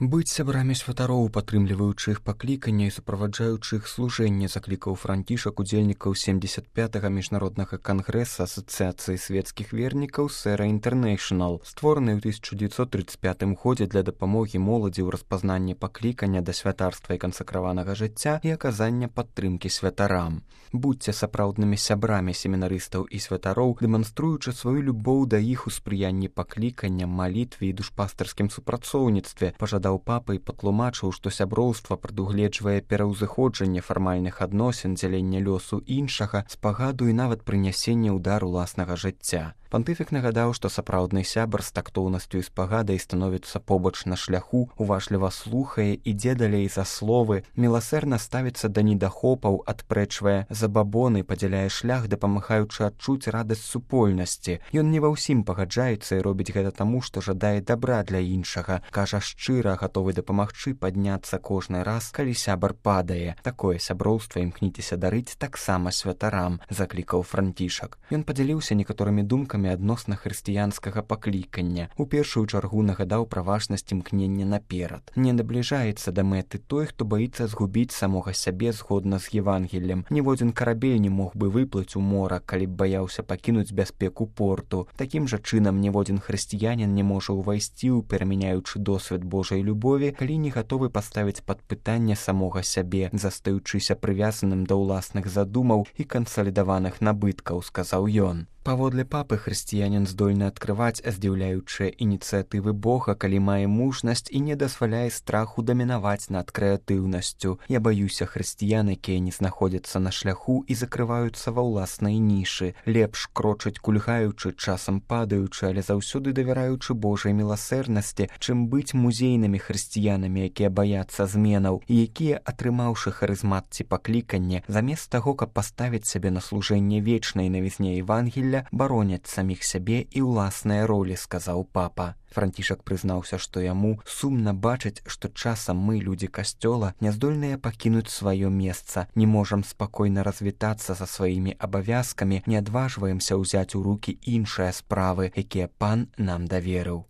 Быць сябрамі святароў, падтрымліваючы іх паклікання і суправаджаючы іх служэнне, заклікаў Францішак удзельнікаў 75-га міжнароднага кангрэса Асацыяцыі свецкіх вернікаў Сэра Інтэрнэйшнл, створаны ў 1935 годзе для дапамогі моладзі ў распазнанні паклікання да святарства і кансакраванага жыцця і аказання падтрымкі святарам. Будзьце сапраўднымі сябрамі семінарыстаў і святароў, дэманструючы сваю любоў да іх у спрыянні паклікання, малітве і душпастарскім супрацоўніцтве, пажадаў папа і патлумачыў, што сяброўства прадугледжвае пераўзыходжанне фармальных адносін, дзялення лёсу іншага, спагаду і нават прынясення ўдар уласнага жыцця. Пантыфік нагадаў, што сапраўдны сябар з тактоўнасцю і спагадай становіцца побач на шляху, уважліва слухае, ідзе далей за словы, міласэрна ставіцца да недахопаў, адпрэчвае забабоны, падзяляе шлях, дапамагаючы адчуць радасць супольнасці. Ён не ва ўсім пагаджаецца і робіць гэта таму, што жадае дабра для іншага, кажа шчыра, гатовы дапамагчы падняцца кожны раз, калі сябар падае. Такое сяброўства імкніцеся дарыць таксама святарам, заклікаў Францішак. Ён падзяліўся некаторымі думкамі адносна хрысціянскага паклікання. У першую чаргу нагадаў пра важнасць імкнення наперад. Не набліжаецца да мэты той, хто баіцца згубіць самога сябе згодна з Евангеллем. Ніводзін карабель не мог бы выплыць у мора, калі б баяўся пакінуць бяспеку порту. Такім жа чынам ніводзін хрысціянін не можа ўвайсці ў перамяняючы досвед Божай любові, калі не гатовы паставіць пад пытанне самога сябе, застаючыся прывязаным да ўласных задумаў і кансалідаваных набыткаў, сказаў ён. Паводле папы, хрысціянін здольны адкрываць здзіўляючыя ініцыятывы Бога, калі мае мужнасць і не дазваляе страху дамінаваць над крэатыўнасцю. Я баюся хрысціян, якія не знаходзяцца на шляху і закрываюцца ва ўласнай нішы. Лепш крочыць кульгаючы, часам падаючы, але заўсёды давяраючы Божай міласэрнасці, чым быць музейнымі хрысціянамі, якія баяцца зменаў і якія, атрымаўшы харызмат ці пакліканне, замест таго, каб паставіць сябе на служэнне вечнай навізне Евангелля, бароняць саміх сябе і ўласныя ролі, сказаў папа. Францішак прызнаўся, што яму сумна бачыць, што часам мы, людзі касцёла, няздольныя пакінуць сваё месца, не можам спакойна развітацца са сваімі абавязкамі, не адважваемся ўзяць у рукі іншыя справы, якія пан нам даверыў.